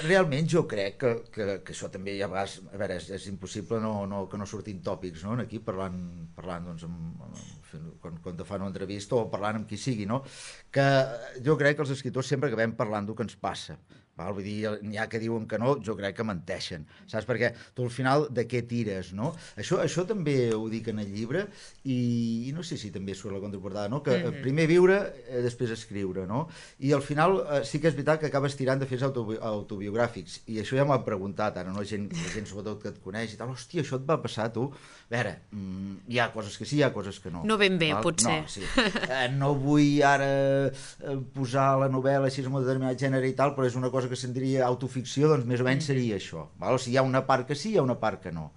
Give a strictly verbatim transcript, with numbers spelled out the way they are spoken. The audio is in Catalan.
realment jo crec que, que, que això també ja vas, a veure, és, és impossible no, no, que no surtin tòpics, no?, aquí parlant, parlant doncs, amb, amb, quan, quan te fan una entrevista o parlant amb qui sigui, no?, que jo crec que els escriptors sempre acabem parlant del que ens passa. Val? Vull dir, n'hi ha que diuen que no, jo crec que menteixen, saps? Perquè tu al final de què tires, no? Això, això també ho dic en el llibre i, i no sé si també surt a la contraportada, no? Que mm-hmm. primer viure, eh, després escriure, no? I al final eh, sí que és veritat que acabes tirant de fets autobi autobiogràfics i això ja m'ho han preguntat ara, no? Gent, gent sobretot que et coneix i tal, hòstia, això et va passar a tu? A veure, mm, hi ha coses que sí, hi ha coses que no. No ben bé, val? potser. No, sí. eh, no vull ara eh, posar la novel·la així en un determinat gènere i tal, però és una cosa que se'n diria autoficció, doncs més o menys seria això. Val? O sigui, hi ha una part que sí, hi ha una part que no.